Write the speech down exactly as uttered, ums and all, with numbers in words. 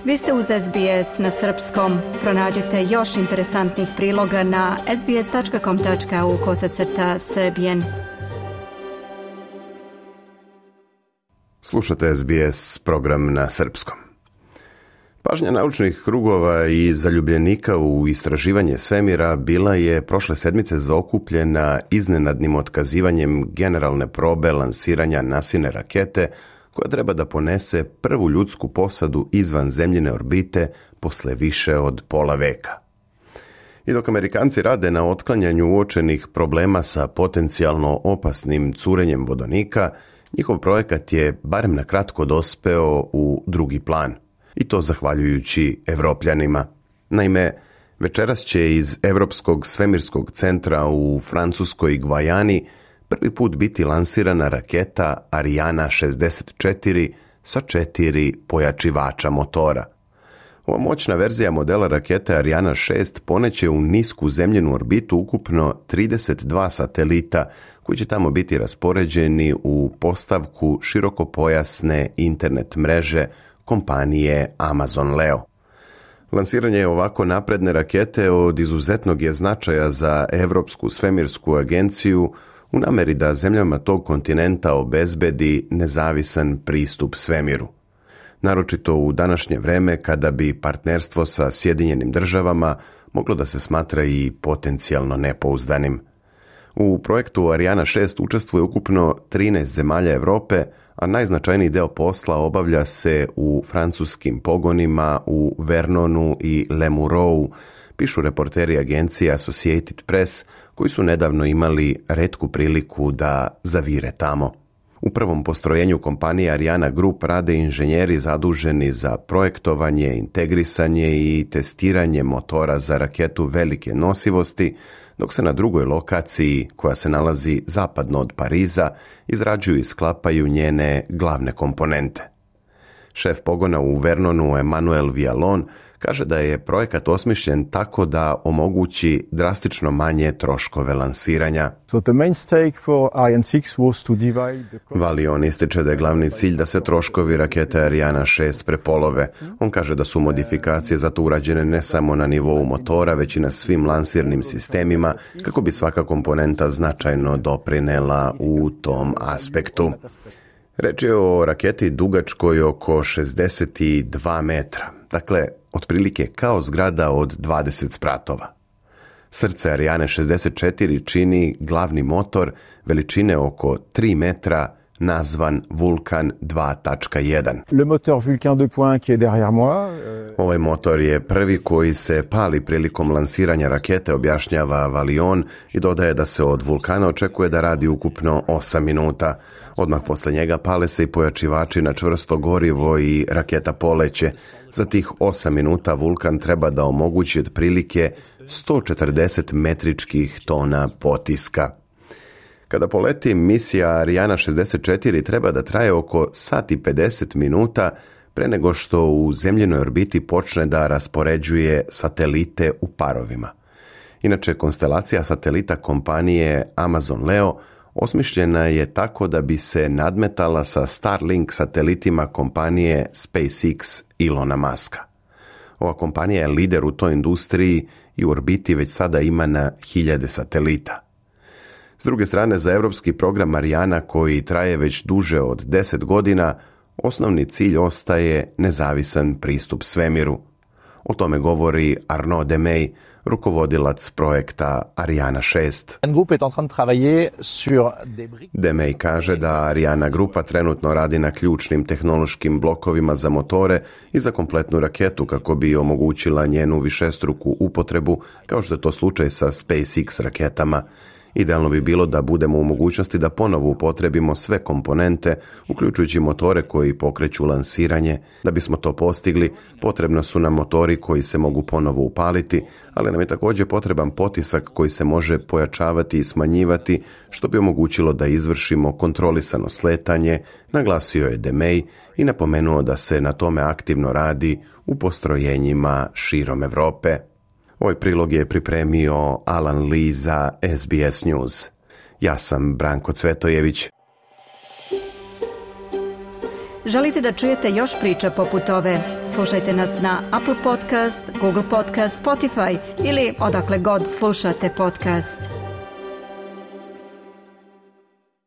Vi ste uz S B S na srpskom. Pronađite još interesantnih priloga na sbs.com.au kosacrta srbijen. Slušate S B S program na srpskom. Pažnja naučnih krugova i zaljubljenika u istraživanje svemira bila je prošle sedmice zaokupljena iznenadnim otkazivanjem generalne probe lansiranja Nasine rakete, koja treba da ponese prvu ljudsku posadu izvan zemljine orbite posle više od pola veka. I dok Amerikanci rade na otklanjanju uočenih problema sa potencijalno opasnim curenjem vodonika, njihov projekat je barem na kratko dospeo u drugi plan. I to zahvaljujući Evropljanima. Naime, večeras će iz Evropskog svemirskog centra u francuskoj Gvajani prvi put biti lansirana raketa Ariana šezdeset četiri sa četiri pojačivača motora. Ova moćna verzija modela rakete Ariana šest poneće u nisku zemljinu orbitu ukupno trideset dva satelita koji će tamo biti raspoređeni u postavku širokopojasne internet mreže kompanije Amazon Leo. Lansiranje ovako napredne rakete od izuzetnog je značaja za Evropsku svemirsku agenciju u nameri da zemljama tog kontinenta obezbedi nezavisan pristup svemiru. Naročito u današnje vreme kada bi partnerstvo sa Sjedinjenim državama moglo da se smatra i potencijalno nepouzdanim. U projektu Ariana šest učestvuje ukupno trinaest zemalja Evrope, a najznačajniji deo posla obavlja se u francuskim pogonima u Vernonu i Lemurou, pišu reporteri agencije Associated Press, koji su nedavno imali retku priliku da zavire tamo. U prvom postrojenju kompanije Ariana Group rade inženjeri zaduženi za projektovanje, integrisanje i testiranje motora za raketu velike nosivosti, dok se na drugoj lokaciji, koja se nalazi zapadno od Pariza, izrađuju i sklapaju njene glavne komponente. Šef pogona u Vernonu, Emmanuel Vialon, kaže da je projekat osmišljen tako da omogući drastično manje troškove lansiranja. Valion ističe da je glavni cilj da se troškovi rakete Ariana šest prepolove. On kaže da su modifikacije zato urađene ne samo na nivou motora, već i na svim lansirnim sistemima, kako bi svaka komponenta značajno doprinela u tom aspektu. Reč je o raketi dugačkoj oko šezdeset dva metra, dakle, otprilike kao zgrada od dvadeset spratova. Srce Ariane šezdeset četiri čini glavni motor veličine oko tri metra, nazvan Vulcan dva tačka jedan. Le moteur Vulcan deux point un qui est derrière moi. Ovaj motor je prvi koji se pali prilikom lansiranja rakete, objašnjava Valion, i dodaje da se od Vulkana očekuje da radi ukupno osam minuta. Odmah posle njega pale se i pojačivači na čvrsto gorivo i raketa poleće. Za tih osam minuta Vulkan treba da omogući otprilike sto četrdeset metričkih tona potiska. Kada poleti, misija Ariana šezdeset četiri treba da traje oko sat i pedeset minuta pre nego što u zemljinoj orbiti počne da raspoređuje satelite u parovima. Inače, konstelacija satelita kompanije Amazon Leo osmišljena je tako da bi se nadmetala sa Starlink satelitima kompanije SpaceX Ilona Muska. Ova kompanija je lider u toj industriji i u orbiti već sada ima na hiljade satelita. S druge strane, za evropski program Ariana, koji traje već duže od deset godina, osnovni cilj ostaje nezavisan pristup svemiru. O tome govori Arnaud Demey, rukovodilac projekta Ariana šest. Demey kaže da Ariana grupa trenutno radi na ključnim tehnološkim blokovima za motore i za kompletnu raketu kako bi omogućila njenu višestruku upotrebu, kao što je to slučaj sa SpaceX raketama. Idealno bi bilo da budemo u mogućnosti da ponovo upotrebimo sve komponente, uključujući motore koji pokreću lansiranje. Da bismo to postigli, potrebno su nam motori koji se mogu ponovo upaliti, ali nam je također potreban potisak koji se može pojačavati i smanjivati, što bi omogućilo da izvršimo kontrolisano sletanje, naglasio je Demey i napomenuo da se na tome aktivno radi u postrojenjima širom Evrope. Ovaj prilog je pripremio Alan Lee za S B S News. Ja sam Branko Cvetojević. Želite da čujete još priča poput ove? Slušajte nas na Apple Podcast, Google Podcast, Spotify ili odakle god slušate podcast.